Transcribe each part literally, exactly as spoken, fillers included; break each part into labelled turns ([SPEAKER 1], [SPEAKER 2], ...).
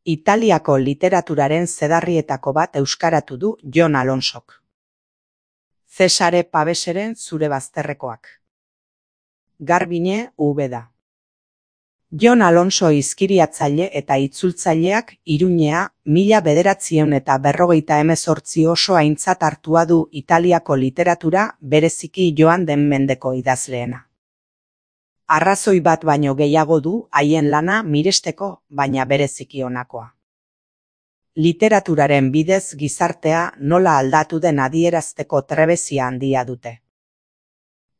[SPEAKER 1] Italiako literaturaren zedarrietako bat euskaratu du Jon Alonsok. Cesare Paveseren Zure bazterrekoak. Garbine Ubeda. Jon Alonso izkiriatzaile eta itzultzaileak Iruñea mila bederatziehun eta berrogeita hemezortzi oso aintzat hartua du Italiako literatura, bereziki joan den mendeko idazleena. Arrazoi bat baino gehiago du haien lana miresteko, baina bereziki honakoa. Literaturaren bidez gizartea nola aldatu den adierazteko trebezia handia dute.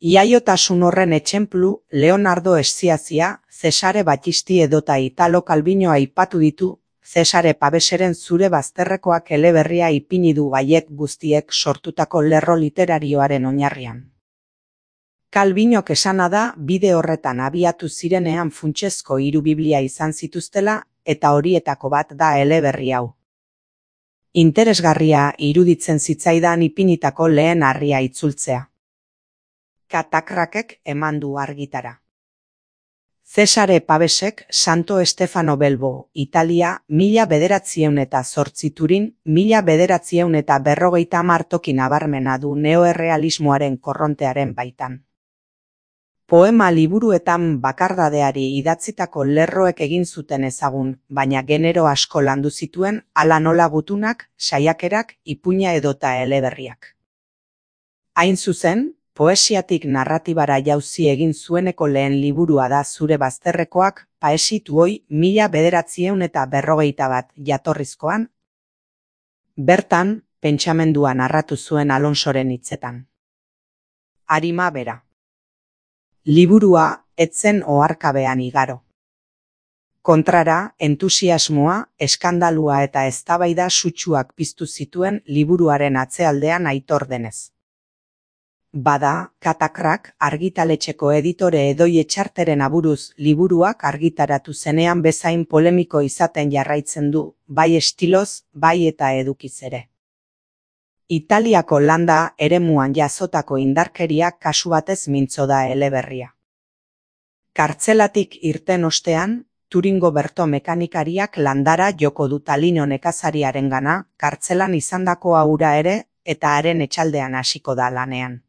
[SPEAKER 1] Iaiotasun horren etxenplu Leonardo Sciascia, Cesare Battisti edota Italo Calvino aipatu ditu, Cesare Paveseren Zure bazterrekoak eleberria ipini du haiek guztiek sortutako lerro literarioaren oinarrian. Calvinok esana da bide horretan abiatu zirenean funtsezko hiru biblia izan zituztela, eta horietako bat da eleberri hau. Interesgarria iruditzen zitzaidan ipinitako lehen harria itzultzea. Katakrakek eman du argitara. Cesare Pavesek Santo Stefano Belbo, Italia, mila bederatziehun eta zortzi Turin, mila bederatziehun eta berrogeita hamar toki nabarmena du neoerrealismoaren korrontearen baitan. Poema liburuetan bakardadeari idatzitako lerroek egin zuten ezagun, baina genero asko landu zituen, hala nola gutunak, saiakerak, ipuina edota eleberriak. Hain zuzen, poesiatik narratibara jauzi egin zueneko lehen liburua da Zure bazterrekoak, Paesituoi mila bederatziehun eta berrogeita bat jatorrizkoan. Bertan, pentsamendua narratu zuen Alonsoren hitzetan. Arima bera. Liburua etzen oharkabean igaro. Kontrara, entusiasmoa, eskandalua eta eztabaida sutsuak piztu zituen liburuaren atzealdean Aitor denez. Bada, Katakrak argitaletxeko editore Edoi Etxarteren aburuz liburuak argitaratu zenean bezain polemiko izaten jarraitzen du, bai estiloz, bai eta edukiz ere. Italiako landa eremuan jazotako indarkeria kasu batez mintzo da eleberria. Kartzelatik irten ostean, Turingo Berto mekanikariak landara joko du Talino nekazariarengana, kartzelan izandako hura ere, eta haren etxaldean hasiko da lanean.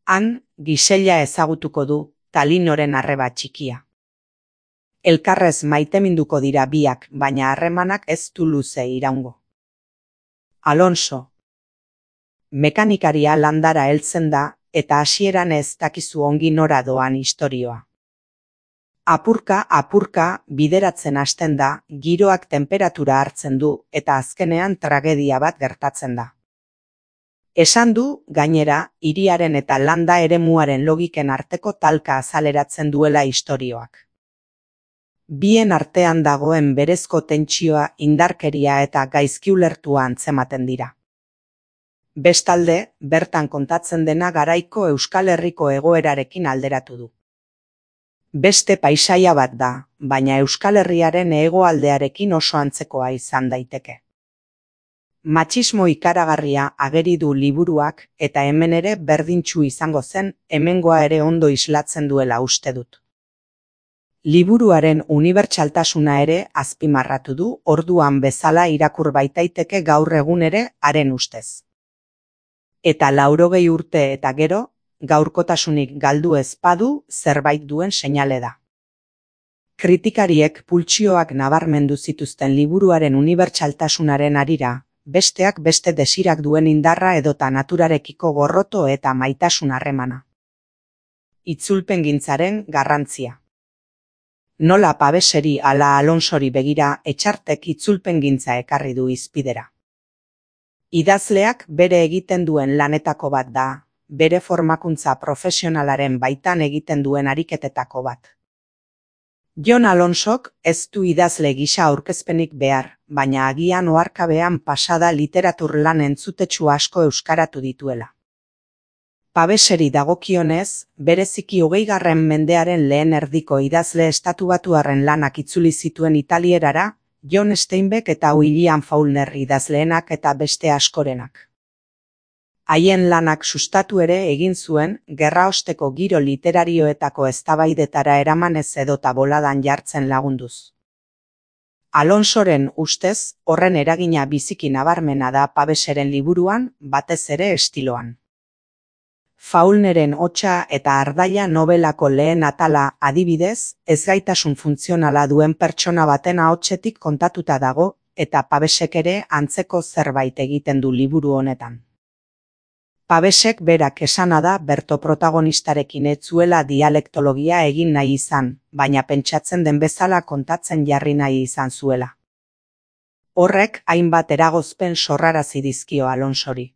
[SPEAKER 1] Han, Gisella ezagutuko du, Talinoren arreba txikia. Elkarrez maiteminduko dira biak, baina harremanak ez du luze iraungo. Alonso. Mekanikaria landara heltzen da, eta hasieran ez dakizu ongi nora doan istorioa. Apurka, apurka, bideratzen hasten da, giroak temperatura hartzen du, eta azkenean tragedia bat gertatzen da. Esan du, gainera, hiriaren eta landa eremuaren logiken arteko talka azaleratzen duela istorioak. Bien artean dagoen berezko tentsioa, indarkeria eta gaizki ulertua antzematen dira. Bestalde, bertan kontatzen dena garaiko Euskal Herriko egoerarekin alderatu du. Beste paisaia bat da, baina Euskal Herriaren hegoaldearekin oso antzekoa izan daiteke. Matxismo ikaragarria ageri du liburuak, eta hemen ere berdintsu izango zen, hemengoa ere ondo islatzen duela uste dut. Liburuaren unibertsaltasuna ere azpimarratu du, orduan bezala irakur baitaiteke gaur egun ere haren ustez. Eta laurogei urte eta gero, gaurkotasunik galdu ez badu zerbait duen seinale da. Kritikariek pultsioak nabarmendu zituzten liburuaren unibertsaltasunaren harira, besteak beste desirak duen indarra edota naturarekiko gorroto eta maitasun harremana. Itzulpengintzaren garrantzia. Nola Paveseri ala Alonsori begira Etxartek itzulpengintza ekarri du hizpidera. Idazleak bere egiten duen lanetako bat da, bere formakuntza profesionalaren baitan egiten duen ariketetako bat. Jon Alonsok ez du idazle gisa aurkezpenik behar, baina agian oharkabean pasada literatur lan entzutetsu asko euskaratu dituela. Paveseri dagokionez, bereziki hogeigarren mendearen lehen erdiko idazle estatubatuarren lanak itzuli zituen italierara, John Steinbeck eta William Faulkner idazleenak eta beste askorenak. Haien lanak sustatu ere egin zuen, gerraosteko giro literarioetako eztabaidetara eramanez edota boladan jartzen lagunduz. Alonsoren ustez, horren eragina biziki nabarmena da Paveseren liburuan, batez ere estiloan. Faulkneren Hotsa eta Ardaila nobelako lehen atala, adibidez, ezgaitasun funtzionala duen pertsona baten ahotsetik kontatuta dago, eta Pavesek ere antzeko zerbait egiten du liburu honetan. Pavesek berak esana da berto protagonistarekin ez zuela dialektologia egin nahi izan, baina pentsatzen den bezala kontatzen jarri nahi izan zuela. Horrek hainbat eragozpen sorrarazi dizkio Alonsori.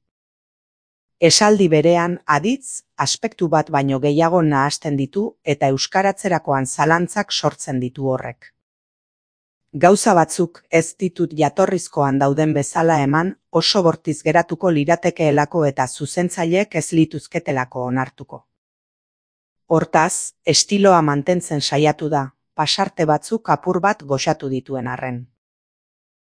[SPEAKER 1] Esaldi berean, aditz, aspektu bat baino gehiago nahasten ditu eta euskaratzerakoan zalantzak sortzen ditu horrek. Gauza batzuk ez ditut jatorrizkoan dauden bezala eman, oso bortiz geratuko liratekeelako eta zuzentzaileek ez lituzketelako onartuko. Hortaz, estiloa mantentzen saiatu da, pasarte batzuk apur bat goxatu dituen arren.